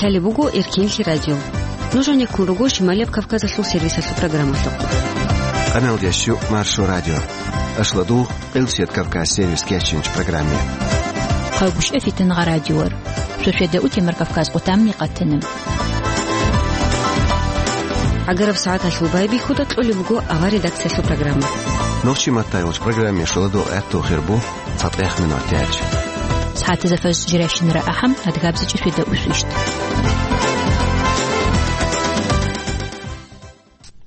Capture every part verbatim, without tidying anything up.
Лъалеб буго Эркенлъи радио. Нуж гьанеккун руго Шималияб Кавказалъул сервисалъул программалъухъ. Къаналдияс щу Маршо радио. Ашладугъ Къилсият Кавказ сервис кечинч программе. Хъалгушев Фитнагъа радиор. Шошеда утемар Кавказ къутамни къатана. Агараб сагӀаталъул байбихьуда кьолеб буго ава редакциялъул программа. Нохчи матайулч программе шуладу гӀатту хирбу. ЦатӀех минутач. СагӀатазда фажр жирашинара ахӀам, адгабзичӀи шведа усвищт.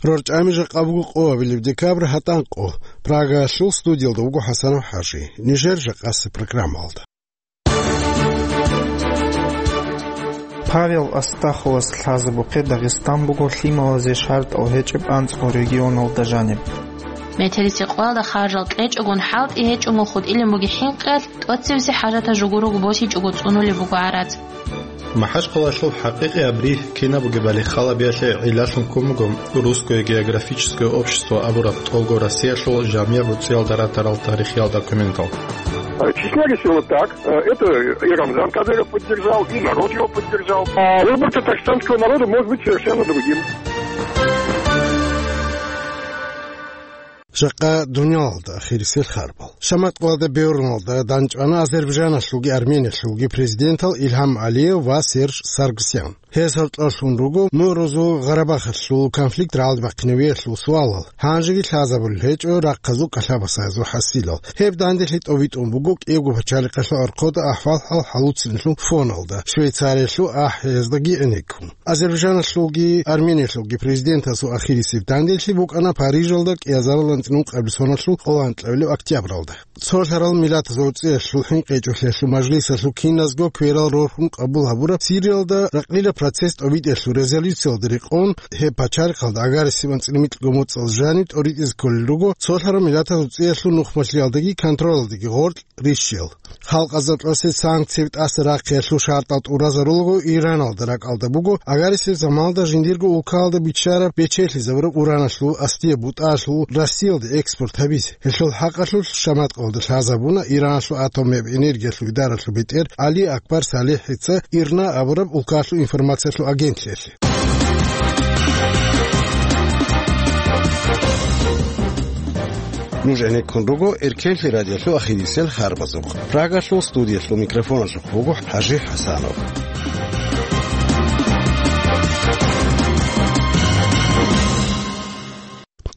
РорчӀами жакъа буго къоабилеб декабрь гьатӀан къо. Прагаялъул студиялда вуго ХӀасанов ХӀажи. Нижер жакъасеб программалда. Павел Астаховас лъазабухъе Дагъистан буго лъималазе шартӀал гьечӀеб анцӀго регионалда жаниб. Метерицикъоялда харжал кьечӀогун хӀалтӀи гьечӀого хутӀилеб бугеб хӀинкъиялъ, тӀоцебесеб хӀажатал жугурого босичӀого цӀунулеб буго гӀарац. МахӀачхъалалъул хӀакъикъияб ригь кинаб бугебали халабиялъе гӀиллалъун ккун буго Русское географическое общество абураб тӀолго Россиялъул жамигӀ буцӀиялда ратарал тарихиял документал. Э, числились его так. Э, это и Рамзан Кадыров поддержал, и народ его поддержал. А выбор татарстанского народа может быть совершенно другим. Жакъа дуниялалда ахирисел харбал. Шаматкъалда бегьурлъуналда данчӀвана Азербайджаналъулги Армениялъулги президентал Илгьам Алиев ва Серж Саргсян. Гьез гьоркьорлъун руго Мугьрузул Гъарабахалъул конфликт рагӀалде бахъинавиялъул суалал, гьанжеги лъазабулел гьечӀо рахъазул кӀалъабасазул хӀасилал. Гьеб данделъи тӀовитӀун буго кӀиябго пачалихъалъул архъода ахӀвал-хӀал хӀалуцилелъул фоналда, Швейцариялъул ахӀияздаги гӀенеккун. Азербайджаналъулги Армениялъулги президентасул ахирисеб данделъи букӀана Парижалда кӀиазарилан цӀинун къаблъи соналъул къоло анкьабилеб октябралда. Цолъарал Миллатазул ГӀуцӀиялъул ХӀинкъичӀолъиялъул мажлисалъул киназго кверал рорхун къабул гьабураб Сириялда ракълила процесс тӀобитӀиялъул резолюциялда рекъон, гьеб пачалихъалда агар сибан цӀинумикьго моцӀал жаниб тӀоритӀизе кколел руго цолъарал Миллатазул ГӀуцӀиялъул нухмалъиялдаги контролалдаги гъоркь рищел. Халкъазда кьосе санкцияби тӀаса рахъиялъул шартӀал тӀуразарулаго Ираналда ракӀалда буго, агар сиб заманалда жиндирго улкалда биччараб бечелъизабураб ураналъул астияб бутӀалъул Россиялде экспорт гьабизе. Гьелъул хӀакъалъулъ Шаматкъалда лъазабуна Ираналъул атомияб энергиялъул идаралъул бетӀер ГӀали Акбар СалихӀица ИРНА абураб улкалъул информациялъул агентлъиялъе. Нуж гӀенеккун руго Эркенлъи радиолъул ахирисел харбазухъ. Прагалъул студиялъул микрофоналъухъ вуго ХӀажи ХӀасанов.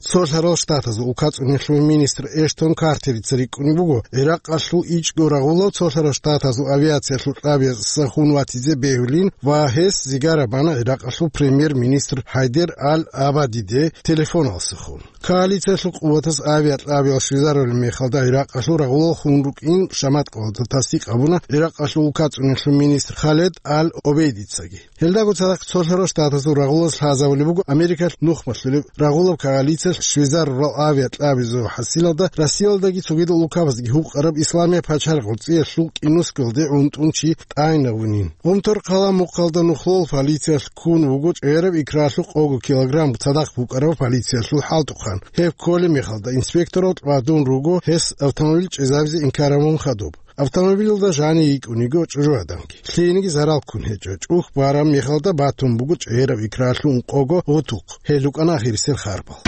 Цолъарал Штатазул улкацӀунелъул министр Эштон Картерица рикӀкӀунеб буго, ГӀиракъалъул ичӀго рагъулав Цолъарал Штатазул авиациялъул кьабиялъ сахун ватизе бегьулин ва гьес зигара бана ГӀиракъалъул премьер-министр ХӀайдер Ал-Абадиде телефоналсахун. Коалициялъул къуватаз авиакьабиял щвезарулеб мехалда ГӀиракъалъул рагъулал хун рукӀин Шаматкъалда тасдикъ гьабуна ГӀиракъалъул улкацӀунелъул министр Халед Ал-Обейдицаги. Гьелдаго цадахъ Цолъарал Штатазул рагъулаз лъазабулеб буго Америкалъ нухмалъулеб рагъулаб коалициялъ щвезарурал авиакьабизул хӀасилалда Россиялдаги цогидал улкабаздаги гьукъараб Исламияб пачалихъ ГӀуцӀиялъул кӀинусгалде гӀунтӀун чи тӀайнавунин. Гъумтор хъала мухъалда нухлол полициялъ ккун вуго чӀегӀераб икралъул къого килограмм цадахъ букӀараб полициялъул хӀалтӀухъан. Гьеб кколеб мехалда инспекторал тӀвадун руго гьес автомобиль чӀезабизе инкар гьабун хадуб. Автомобилалда жанив йикӀун йиго чӀужугӀаданги. Лъиениги зарал ккун гьечӀо. ЧӀухь бараб мехалда батун буго чӀегӀераб икралъул ункъого гъутухъ. Гьел рукӀана ахирисел харбал.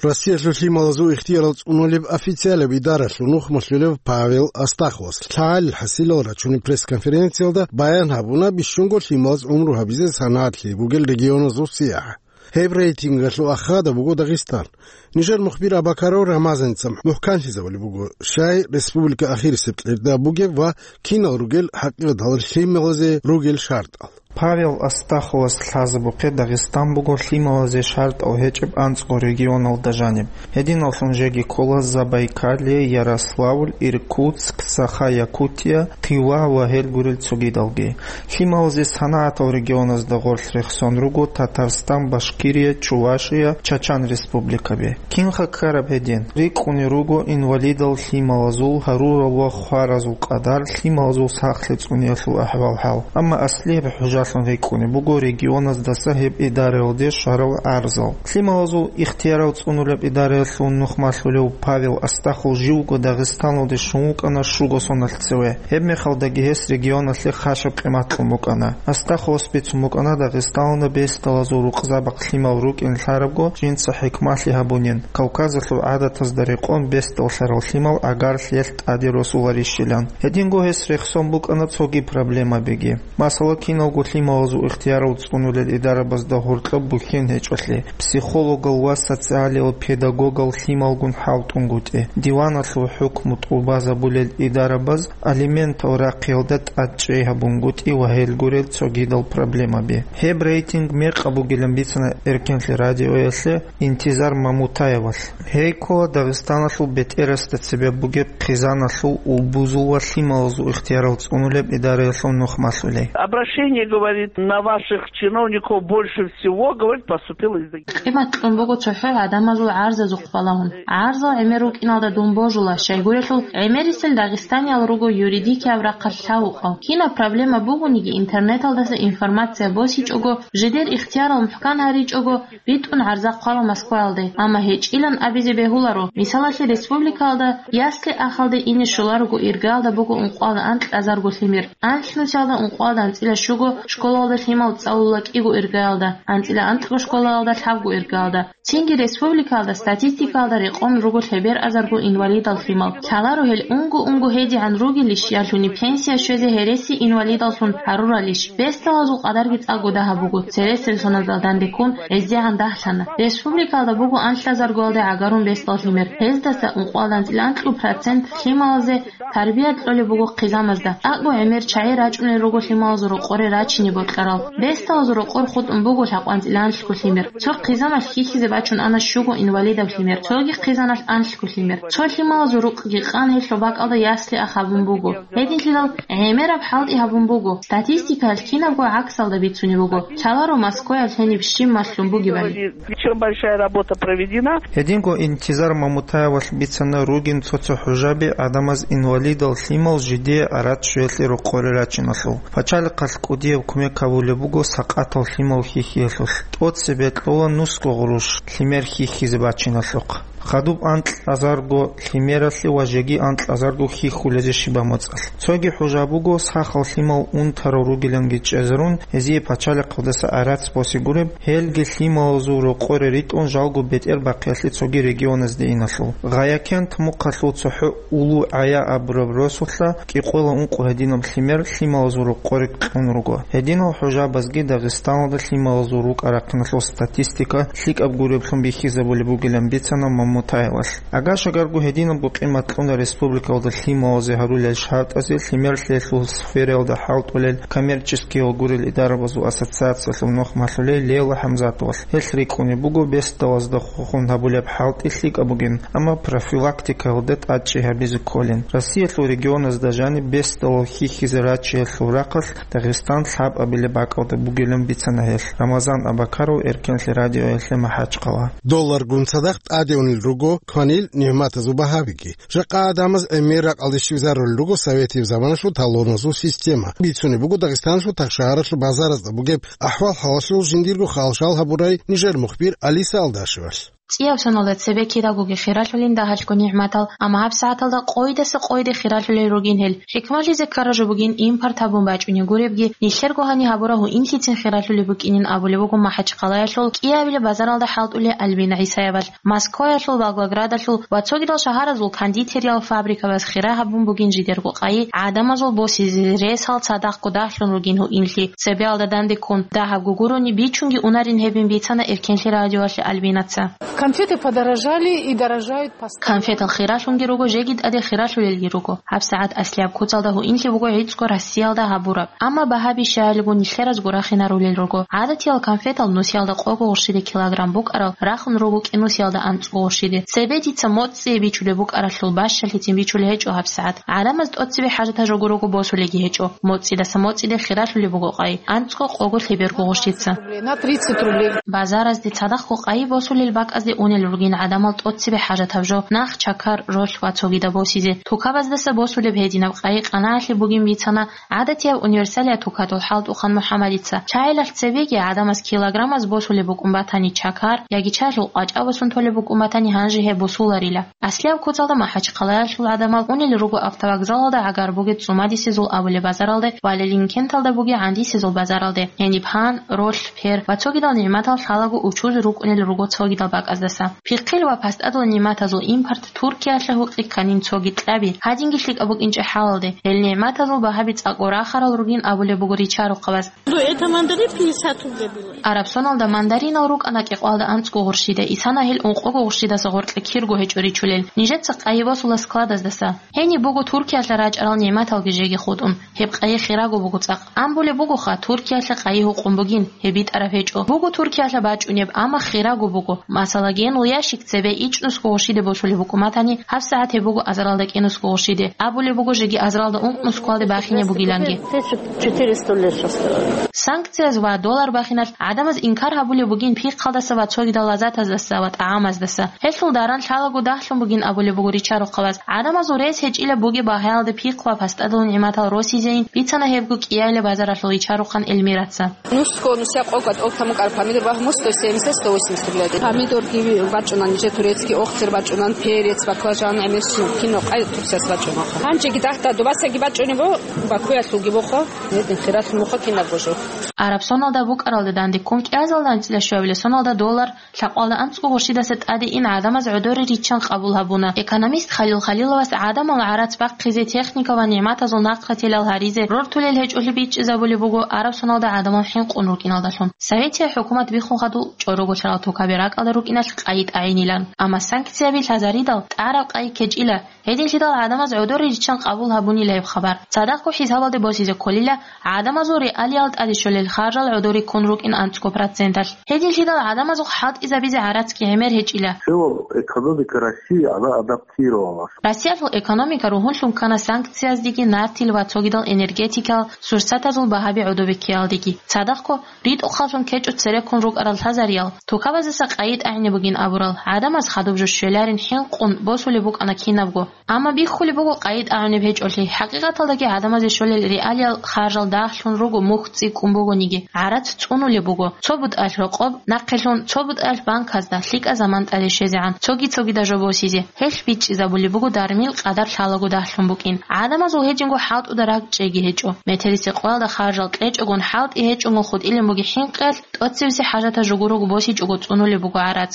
Россиялъул лъималазул ихтиярал цӀунулеб официалаб идаралъул нухмалъулев Павел Астаховас лъагӀалил хӀасилал рачунеб пресс-конференциялда баян гьабуна бищунго лъималаз гӀумру гьабизе санагӀатлъи бугел регионазул сиягӀат. Гьеб рейтингалъул ахада буго Дагъистан. Нижер мухбир Абакаров Рамазаница мухӀканлъизабулеб буго, щай республика ахирисеб кьерда бугеб ва кинал ругел хӀакъикъаталда лъималазе ругел шартӀал. Павел Астаховас лъазабухъе Дагъистан буго лъималазе шартӀал гьечӀеб анцӀго регионалда жаниб. Гьединаллъун жеги ккола Забайкалье, Ярославль, Иркутск, Саха-Якутия, Тыва ва гьел гурел цогидалги. Лъималазе санагӀатал регионазда гъорлъ рехсон руго Татарстан, Башкирия, Чувашия, Чачан республикаби. Кинха ккараб гьедин? РикӀкӀунел руго инвалидал лъималазул гьарурал ва хваразул къадар, лъималазул сахлъи цӀуниялъул ахӀвал-хӀал. Амма аслияб хӀужалъун рикӀкӀунеб буго регионаздаса гьеб идараялде щварал гӀарзал. Лъималазул ихтиярал цӀунулеб идараялъул нухмалъулев Павел Астахов живго Дагъистаналде щун вукӀана щуго соналъ цеве. Гьебмехалдаги гьес регионалъе хъашаб къимат кьун букӀана. Астаховас бицун букӀана Дагъистаналда бесдалазул рукъзабахъ лъимал рукӀин лъарабго жинца хӀикмалъи гьабунин, Кавказалъул гӀадатазда рекъон бесдаллъарал лъимал гӀагарлъиялъ тӀаде росуларищилан. Гьединго гьес рехсон букӀана цоги проблемабиги. Масала, киналго лъималазул ихтиярал цӀунулел идарабазда гьоркьоб бухьен гьечӀолъи, психологал ва социалиял педагогал лъималгун хӀалтӀунгутӀи, диваналъул хӀукму тӀубазабулел идарабаз алиментал рахъиялда тӀадчӀей гьабунгутӀи ва гьел гурел цогидал проблемаби. Гьеб рейтинг мекъаб бугилан бицана Эркенлъи радиоялъе Интизар Мамутаевалъ. Гьей ккола Дагъистаналъул бетӀерасда цебе бугеб хъизаналъул, улбузул ва лъималазул ихтиярал цӀунулеб идараялъул нухмалъулей. Обращение, говорит, на ваших чиновников больше всего, говорит, поступило из Дагестана. Къимат кьун буго цохӀо гӀадамазул гӀарзазухъ балагьун. ГӀарзал гӀемер рукӀиналда дун божула, щайгурелъул гӀемерисел дагъистаниял руго юридикияб рахъалъ лъавукъав. Кинаб проблема бугониги, интернеталдаса информация босичӀого, жидер ихтиярал мухӀкан гьаричӀого, битӀун гӀарза хъвала Москваялде, амма гьечӀилан абизе бегьуларо. Мисалалъе, республикаялда ясли-ахалде ине щоларого иргаялда буго ункъоялда анкьазарго лъимер, анлънусиялда ункъоялда анцӀила щуго, школалда лъимал цӀалула кӀиго иргаялда, анцӀила анкьго школаялда лъабго иргаялда. Цинги республикаялда статистикаялда рекъон руго лъеберъазарго инвалидал лъимал. Лъаларо гьел унго-унго гьедигӀан ругелищ, ялъуни пенсия щвезе гьереси инвалидаллъун гьаруралищ. Бесдалазул къадарги цӀакъго дагьаб буго, цересел соналдал данде ккун гьездегӀан дагьлъана. Республикаялда буго анлъазаргоялде гӀагарун бесдал лъимер. Гьездаса ункъоялда анцӀила анкьу процент лъималазе тарбия кьолеб буго хъизамазда. ТӀакӀго гӀемер чагӀи рачӀунел руго лъималазул рокъоре рачине бокьарал. Бесдалазул рокъор хутӀун буго лъабкъоялда анлъго лъимер. Цо хъизамалъ хьихьизе бачун ана щуго инвалидаб лъимер, цоги хъизаналъ анлъго лъимер. Цо лъималазул рукъги къан гьелъул бакӀалда ясли-ах гьабун буго. Гьединлъидал гӀемераб хӀалтӀи гьабун буго. Статистикаялъ кинабго гӀаксалда бицунеб буго. Лъаларо Москваялъ гьениб щиб малъун бугебали. Причём большая работа проведена. Гьединго Интизар Мамутаевалъ бицана ругин цо-цо хӀужаби гӀадамаз инвалидал лъимал жидее гӀарац щвеялъе рокъоре рачиналъул. Пачалихъалъ кӀудияб кумек гьабулеб буго сакъатал лъимал хьихьиялъулъ. ТӀоцебе кьола нусго гъурущ лъимер хьихьизе бачиналъухъ. Хадуб анкьазарго лъимералъе ва жеги анкьазарго хьихьулезе щибаб моцӀалъ. Цоги хӀужа буго, сахал лъимал унтарал ругиланги чӀезарун, гьезие пачалихъалдаса гӀарац босе гуреб, гьелги лъималазул рокъоре ритӀун жалго бетӀер бахъиялъе цоги регионазде иналъул. Гъаякент мухъалъул цохӀо Улу ГӀая абураб росулъа кӀикъоялда ункъо гьединаб лъимер лъималазул рокъоре кьун руго. Гьединал хӀужабазги Дагъистаналда лъималазул рукӀа-рахъиналъул статистика лъикӀаб гуреблъун бихьизабулеб бугилан бицана Мамутаевалъ. Агашагарго гьединабго къимат кьуна республикалда лъималазе гьарулел шартӀазе лъимерлъиялъул сфераялда хӀалтӀулел коммерческиял гурел идарабазул ассоциациялъул нухмалъулей Лейла ХӀамзатовалъ. Гьелъ рикӀкӀунеб буго бесдалазда хухун гьабулеб хӀалтӀи лъикӀаб бугин, амма профилактикаялда тӀадчӀей гьабизе кколин. Россиялъул регионазда жаниб бесдалал хьихьизе рачиялъул рахъалъ Дагъистан лъабабилеб бакӀалда бугилан бицана гьелъ. Рамазан Абакаров, Эркенлъи радиоялъе, МахӀачхъала. Долларгун цадахъ тӀадегӀунел руго кванил нигӀматазул багьабиги. Жакъа гӀадамаз гӀемер ракӀалде щвезарулел руго советияб заманалъул талоназул система. Бицунеб буго Дагъистаналъул тахшагьаралъул базаразда бугеб ахӀвал-хӀалалъул жиндирго хал-шал гьабурай нижер мухбир Алиса Алдашевалъ. ЦӀияб соналда цебе кидагоги хиралъулин дагьалъго нигӀматал, амма гьабсагӀаталда къойидаса къойиде хиралъулел ругин гьел. ХӀикмалъизе ккараб жо бугин импорт гьабун бачӀунеб гуребги, нилъерго гьаниб гьабураб гьуинлъицин хиралъулеб букӀинин абулеб буго МахӀачхъалаялъул кӀиабилеб базаралда хӀалтӀулев Альбина ГӀисаевалъ. Москваялъул, Волгоградалъул ва цогидал шагьаразул кондитериял фабрикабаз хира гьабун бугин жидерго къайи, гӀадамазул босизе ресал цадахъго дагьлъун ругин гьуинлъи. Цебеялда данде ккун, дагьабго гурони бичунги унарин гьебин бицана Эркенлъи радиоялъе Альбинаца. Конфеты подорожали и дорожают постоянно. Конфетал хиралъунги руго, жеги тӀаде хиралъулелги руго. ГьабсагӀат аслияб куцалда гьуинлъи буго гӀицӀго Россиялда гьабураб. Амма багьаби щаялиго нилъеразго рахинарулел руго. ГӀадатиял конфетал нусиялда къого гъурщиде килограмм букӀарал рахун руго кӀинусиялда анцӀго гъурщиде. Цебе дица моцӀцӀие бичулеб букӀаралъул бащалъицин бичулеб гьечӀо гьабсагӀат. ГӀадамаз тӀоцебе хӀажатаб жо гурого босулелги гьечӀо. МоцӀидаса моцӀиде хиралъулеб буго къайи, анцӀго, къого, лъеберго гъурщица. На тридцать рублей. Базаразде цадахъго къайи босулел бакӀазде унел ругин гӀадамал тӀоцебе хӀажатаб жо, нах, чакар, ролъ ва цогидаб босизе. Тукабаздаса босулеб гьединаб къайи къанагӀалъи бугин бицана гӀадатияб универсалияб тукатул хӀалтӀухъан МухӀаммадица. Чагьилалъ цебеги гӀадамаз килограммаз босулеб букӀун батани чакар, яги чагьлъул къвачӀа босун толеб букӀун батани гьанже гьеб босуларила. Аслияб куцалда МахӀачхъалаялъул гӀадамал унел руго автовокзалалда гӀагар бугеб ЦӀумадисезул абулеб базаралде ва Лелинкенталда бугеб ГӀандисезул базаралде. Гьениб гьан, ролъ, пер ва цогидал нигӀматал лъалаго учузе рукӀунел руго цогидал бакӀаздаса. Пихъил ва пастадул нигӀматазул импорт Туркиялъа гьукъи кканин цоги кьаби, гьадинги лъикӀаб букӀинчӀеб хӀалалде, гьел нигӀматазул багьаби цӀакъго рахарал ругин абулеб буго ричарухъабаз. Ну, это мандарин пятьдесят рублей было. Арабсоналда мандаринал рукӀана кӀикъвалда анцӀго гъурщида, исана гьел ункъого гъурщидаса гъоркье кирго гьечӀо ричулел. Нижеца къайи босула складаздаса. Гьениб буго Туркиялъа рачӀарал нигӀматалги жеги хутӀун. Гьеб къайи хираго буго цӀакъ. Амбулеб бугоха, Туркиялъа къайи гьукъун бугин, гьеб битӀараб гьечӀо. Буго Туркиялъа бачӀунеб, амма хираго буго. Масала, генул ящик цебе ичӀнусго гъурщиде босулеб букӀун батани, гьабсагӀат гьеб буго азаралда кӀенусго гъурщиде. Абулеб буго жеги азаралда ункънусгоялде бахине бугиланги. Тысяча четыреста лет осталось. Санкцияз ва доллар бахиналъ гӀадамаз инкар гьабулеб бугин пихъалдаса ва цогидал лаззатаздаса ва тӀагӀамаздаса. Гьелъул даран лъалаго дагьлъун бугин абулеб буго ричарухъабаз. ГӀадамазул рес гьечӀила бугеб багьаялда пихъ ва пастадул нигӀматал росизейин, бицана гьебго кӀиялила базаралъул ричарухъан Эльмираца. Нусго нусияб къого тӀолтамукъар помидор багьму сто семьдесят, сто восемьдесят рублей. Помидорги бачӀунан, нижер турецкий охтер бачӀунан, перец, баклажан, гӀемерщин, кино къай турсас бачӀунаха. Гьанжеги дагьда дубасаги бачӀунебо, Бакуялъулги бохо, гьедин хиралъун бохо кинабго жо. Арабсоналда букӀаралда данде ккун кӀиазалда анцӀила щуабилеб соналда доллар лъакъвалда анцӀго гъурщидаса тӀаде ин гӀадамаз гӀодоре риччан къабул гьабуна. Экономист Халил Халиловас гӀадамал гӀарац бахъизе, техника ва нигӀматазул нахъратилал гьаризе рортулел гьечӀолъи бичӀчӀизабулеб буго арабсоналда гӀадамал хӀинкъун рукӀиналдалъун. Советияб хӀукумат биххун хадуб чӀорого лъарал тукаби ракӀалда рукӀиналъ къайи тӀагӀинилан. Амма санкцияби лъазаридал тӀараб къайи ккечӀила. Гьединлъидал гӀадамаз гӀодоре риччан къабул гьабунила гьеб хабар. Цадахъго хӀисабалде босизе кколила гӀадамазул реалиял тӀаде щолел харжал гӀодоре ккун рукӀин анцӀго проценталъ. Гьединлъидал гӀадамазухъ хӀалтӀизабизе гӀарацги гӀемер гьечӀила. В целом экономика России, она адаптировалась. Россиялъул экономика ругьунлъун ккана санкцияздеги, нартил ва цогидал энергетикал сурсатазул багьаби гӀодобиккеялдеги. Цадахъго ритӀухъаллъун ккечӀо цереккун рукӀарал лъазариял, тукабаздаса къайи тӀагӀине бугин абурал, гӀадамаз хадуб жо щвеларин хӀинкъун босулеб букӀана кинабго. Амма биххулеб буго къайи тӀагӀунеб гьечӀолъи, хӀакъикъаталдаги гӀадамазе щолел реалиял харжал дагьлъун руго, мухь цӀикӀкӀун бугониги, гӀарац цӀунулеб буго, цо бутӀалъ рокъоб, нахъелъун цо бутӀалъ банказда, лъикӀа заман тӀаде щвезегӀан, цоги-цогида жо босизе. Гьелъ бичӀчӀизабулеб буго дармил къадар лъалаго дагьлъун букӀин. ГӀадамазул гьединго хӀалтӀуда ракӀчӀейги гьечӀо. Метерисеб къоялда харжал кьечӀогун, хӀалтӀи гьечӀогун хутӀилин бугеб хӀинкъиялъ, тӀоцебесеб хӀажаталъ жугурого босичӀого цӀунулеб буго гӀарац.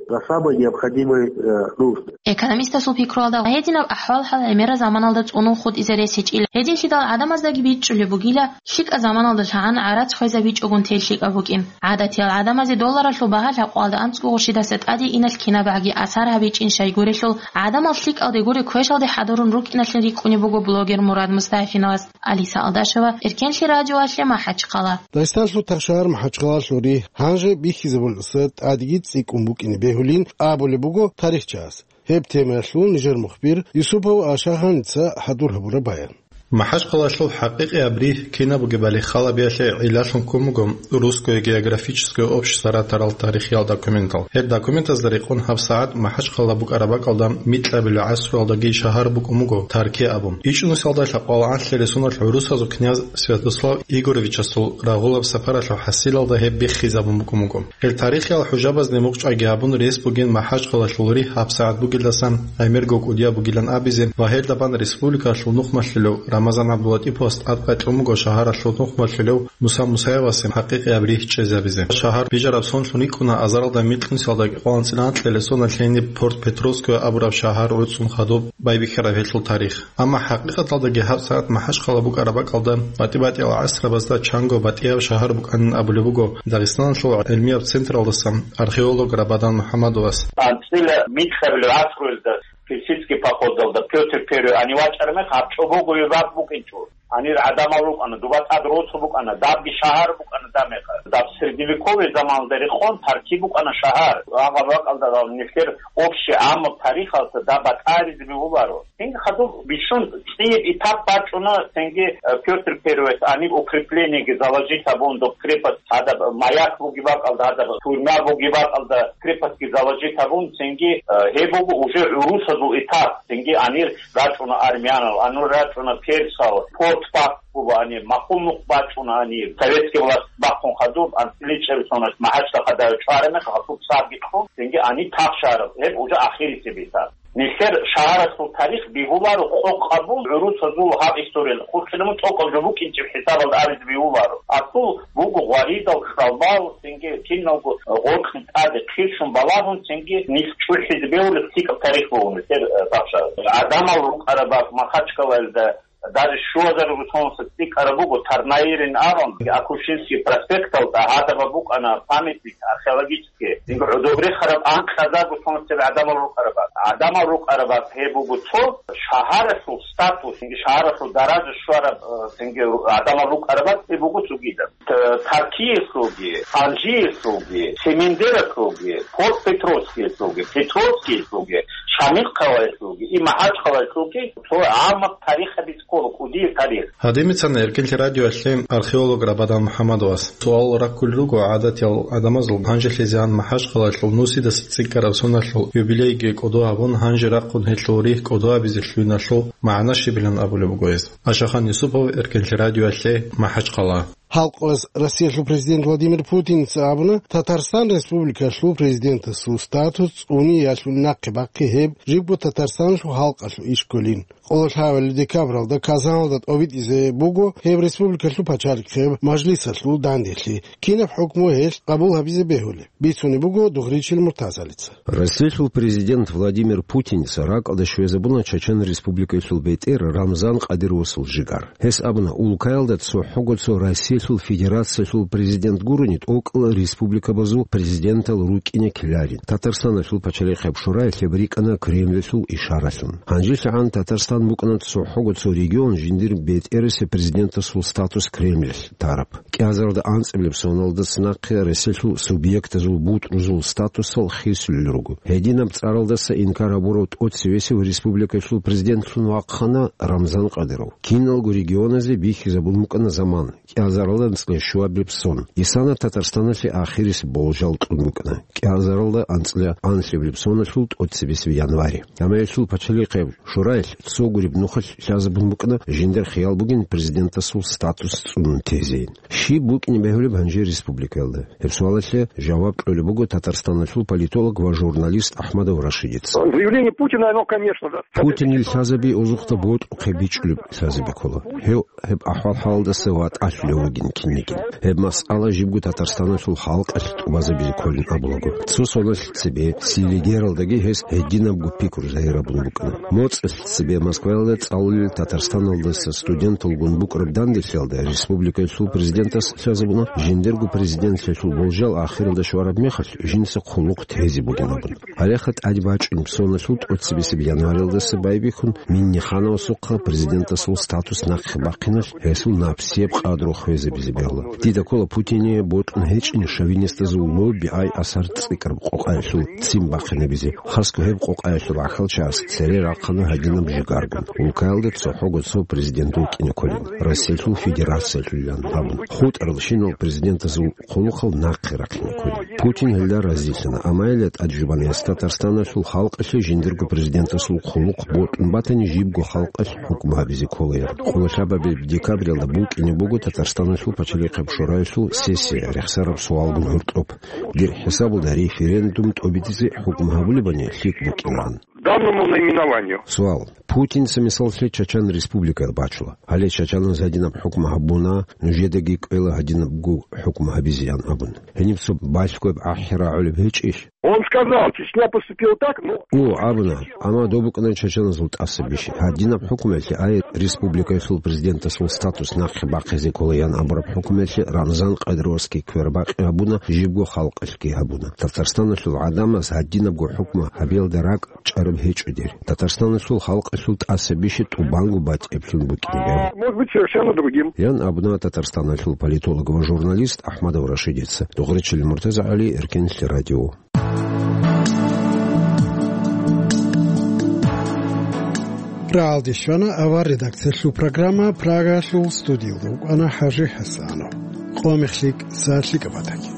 За самые необходимые, э, нужды. Экономистасул пикруялда, гьединаб ахӀвал-хӀал гӀемерал заманалда цӀунун хутӀизе рес гьечӀила. Гьединлъидал гӀадамаздаги бичӀчӀулеб бугила, лъикӀа заманалда лъагӀан гӀарац хвезабичӀогун тел лъикӀаб букӀин. ГӀадатиял гӀадамазе долларалъул багьа лъабкъоялда анцӀго гъурщидаса тӀаде иналъ кинабгӀаги асар гьабичӀин щайгурелъул, гӀадамал лъикӀалде гуре квешалде хӀадурун рукӀиналъин рикӀкӀунеб буго блогер Мурад Мустафиновас. Алиса Алдашева, Эркенлъи радиоялъе, МахӀачхъала. Дагъистаналъул тахшагьар МахӀачхъалалъулри гьанже бихьизабуласа тӀадеги цӀикӀкӀун букӀине бегьулин абулеб буго тарихчияс. Гьеб темаялъул нижер мухбир Юсупов Ашагьаница хӀадур гьабураб баян. МахӀачхъалалъул хӀакъикъияб ригь кинаб бугебали халабиялъе гӀиллалъун ккун буго Русское географическое общество ратарал тарихиял документал. Гьеб документазда рекъон гьабсагӀат МахӀачхъала букӀараб бакӀалда микьабилеб гӀасруялдаги шагьар букӀун буго Тарки абун. ИчӀнусиялда лъабкъоялда анлъилел соналъ гӀурусазул князь Святослав Игоровичасул рагъулаб сапаралъул хӀасилалда гьеб биххизабун букӀун буго. Гьел тарихиял хӀужабазде мукъчӀвайги гьабун рес бугин МахӀачхъалалъул ригь гьабсагӀат бугелдасан гӀемерго кӀудияб бугилан абизе ва гьелда бан республикалъул нухмалъулев Рамазан ГӀабдулатӀиповас тӀадкъай кьун буго шагьаралъул нухмалъулев Муса Мусаевасе хӀакъикъияб ригь чӀезабизе. Шагьар бижараб сонлъун рикӀкӀуна азаралда микьнусиялда кӀикъоялда анцӀила анлъилел соналъ гьениб Порт-Петровское абураб шагьар гӀуцӀун хадуб байбихьараб гьелъул тарих. Амма хӀакъикъаталдаги гьабсагӀат МахӀачхъала букӀараб бакӀалда батӀи-батӀиял гӀасрабазда чанго батӀияб шагьар букӀанин абулеб буго Дагъистаналъул гӀилмияб централдасан археолог Рабадан МухӀамадовас. АнцӀила микьабилеб гӀасруялда персидский походалда Пётр Первый гьанив вачӀараб мехалъ гьаб чӀобогояб бакӀ букӀинчӀо. Гьанир гӀадамал рукӀана, дуба тӀад росу букӀана, дабги шагьар букӀана дагьаб мехалъ. Даб средневековый заманалда рекъон таркиб букӀана шагьар. Гьаб бакӀалда нилъер общий гӀаммаб тарихалда даб батӀаризе бегьуларо. Цинги хадуб бищун цӀияб этап бачӀуна, цинги, э, Пётр Первый гьаниб укреплениеги заложить гьабун, доб крепость гьадаб маяк бугеб бакӀалда, гьадаб тюрьма бугеб бакӀалда крепостьги заложить гьабун, цинги, э, гьеб буго уже гӀурусазул этап, цинги гьанир рачӀуна армянал, гьанир рачӀуна персал, форт-пакт буго гьанир, махул нух бачӀуна гьанир, советский власть бахъун хадуб, анцӀила чӀебисунас МахӀачда хадув чӀвараб мехалъ, гьасул сабги кьун, цинги гьанир тахшараб, гьеб уже ахирисеб этап. Нилъер шагьаралъул тарих бегьуларо къокъ гьабун гӀурусазул гьаб историяда. Хурхилабун тӀокӀаб жо букӀинчӀеб хӀисабалда абизе бегьуларо. Асул буго гъваридал, кьалбал, цинги киналго гъоркье тӀаде хъирщун балагьун, цинги нилъ чӀухӀизе бегьулеб лъикӀаб тарих буго нилъер, э, тахшараб. ГӀадамал рукӀараб бакӀ Махачкалаялда даже щуазарго соналъ цӀикӀкӀараб буго, Тарнаирин абун, Акушинский проспекталда гьадаб букӀана памятник археологический. Цинги гӀодобрехараб анкьазарго соналъ гӀадамал рукӀараб бакӀ. ГӀадамал рукӀараб бакӀ гьеб буго цо, шагьаралъул статус, цинги шагьаралъул даража щвараб, э, цинги гӀадамал рукӀараб бакӀ гьеб буго цогидаб. Т-, Таркиялъулги, Анжиялъулги, Семендералъулги, Петровскиялъулги, Петровскиялъулги, Шамилхъалаялъулги, и МахӀачхъалаялъулги, цо гӀаммаб тарихаби ккола, кӀудияб тарих. Гьадинаб бицана Эркенлъи радиоялъе археолог Рабадан МухӀаммадовас. Суал раккулел руго гӀадатиял гӀадамазул гьанжелъизегӀан МахӀачхъалаялъул нусидаса цӀикӀкӀараб соналъул юбилейги кӀодо гьабун, гьанже рахъун гьелъул ригь кӀодо гьабизе лъугьиналъул магӀна щибилан абулеб буго гьес. Ашахан Юсупов, Эркенлъи радиоялъе, МахӀачхъала. Халкъалъ Россиялъул президент Владимир Путинца абуна, Татарстан Республикалъул президентасул статус цӀуниялъул нахъе бахъи гьеб жибго Татарстаналъул халкъалъул иш кколин. Къоло лъабабилеб декабралда Казаналда тӀобитӀизе буго гьеб республикалъул пачалихъеб мажлисалъул данделъи, кинаб хӀукму гьелъ къабул гьабизе бегьулеб, бицунеб буго Дугъричил Муртазалица. Россиялъул президент Владимир Путинца ракӀалде щвезабуна Чачан Республикалъул бетӀер Рамзан Кадыровасул жигар. Гьес абуна, улкаялда цохӀого цо Россиялъул Федерациялъул президент гурони тӀокӀал республикабазул президентал рукӀине ккеларин. Татарстаналъул пачалихъеб шораялъ гьеб рикӀкӀана Кремльалъул ишаралъун. ГьанжелъагӀан Татарстан букӀана цохӀого цо регион жиндир бетӀерасеб президентасул статус Кремльалъ тараб. КӀиазаралда анцӀабилеб соналдаса нахъе Россиялъул субъектазул бутӀрузул статусал хисулел руго. Гьединаб цӀаралдаса инкар гьабурав тӀоцевесев республикалъул президентлъун вахъана Рамзан Кадыров. Киналго регионазе бихьизабун букӀана заман, кӀиазаралда анцӀила щуабилеб сон. Исана Татарстаналъе ахирисеб болжал кьун букӀана, кӀиазаралда анцӀила анлъабилеб соналъул тӀоцебесеб январе. Амма гьелъул пачалихъеб шораялъ цо гуреб нухалъ лъазабун букӀана жиндир хиял бугин президентасул статус цӀунун тезейин. Щиб букӀине бегьулеб гьанже республикаялда? Гьеб суалалъе жаваб кьолеб буго Татарстаналъул политолог ва журналист Ахмадов Рашидица. Заявление Путина, оно, конечно, да. Путинил лъазаби озухъда бокьухъе бичӀчӀулеб лъазаби ккола. Гьев гьеб ахӀвал-хӀалалдаса ватӀалъулев вугин кинигин. Гьеб масъала жибго Татарстаналъул халкъалъ тӀубазабизе кколин абулаго. Цо соналъ цебе Селигералдаги гьес гьединабго пикру загьирабун букӀана. МоцӀалъ цебе Москваялда цӀалулел Татарстаналдаса студенталгун букӀараб данделъиялда республикалъул президентас лъазабуна, жиндирго президентлъиялъул болжал ахиралда щвараб мехалъ жинца хъулухъ тезе бугин абун. Гьалеха тӀаде бачӀунеб соналъул тӀоцебесеб январалдаса байбихьун Миннихановасухъа президентасул статус нахъе бахъиналъ гьесул напсияб къадру хвезабизе бегьула. Дида ккола Путине бокьун гьечӀин шовинистазул лобби ай асар цӀикӀкӀараб къокъаялъул ццин бахъинабизе. Хасго гьеб къокъаялъул гӀахьалчагӀаз цере рахъана гьадинаб жигаргун. Улкаялда цохӀого цо президент вукӀине кколин, Россиялъул Федерациялъулилан абун. ХутӀарал щинал президентазул хъулухъал нахъе рахъине кколин. Путин гьелда разилъана, амма гьелда тӀаде жубана гьес Татарстаналъул халкъалъе жиндирго президентасул хъулухъ бокьун батани, жибго халкъалъ хӀукму гьабизе кколаян. Къоло лъабабилеб декабралда букӀине буго Татарстаналъул пачалихъеб шораялъул сессия рехсараб суалгун гьоркьоб. Дир хӀисабалда референдум тӀобитӀизе хӀукму гьабулебани лъикӀ букӀинан. Данному наименованию. Суал. Путинца мисаллъи Чачан Республикаял бачула. Гьале чачаназ гьадинаб хӀукму гьабуна, нужедаги кӀвела гьадинабго хӀукму гьабизеян абун. Гьениб цо балъгояб ахӀи рагӀулеб гьечӀищ? Он сказал, Чечня поступила так, но... О, абуна, амма доб букӀана чачаназул тӀаса бищи. Гьадинаб хӀукумалъе ай республикаялъул президентасул статус нахъе бахъизе ккола ян абураб хӀукумалъе Рамзан Къадировский квербакъи гьабуна, жибго халкъалъги гьабуна. Татарстаналъул гӀадамаз гьадинабго хӀукму гьабиялда ракӀ чӀараб гьечӀо дир. Татарстаналъул халкъалъул тӀаса бищи тӀубанго батӀиблъун букӀинаб. А, может быть, совершенно другим. Ян абуна Татарстаналъул политолог ва журналист Ахмадов Рашидица. Дугъричилин Муртаза ГӀали, Эркенлъи радио. Рагьалде щвана авар редакциялъул программа, Прагалъул студиялда вукӀана ХӀажи ХӀасанов. Къо мехлъи, сагӀат лъикӀаб батаги.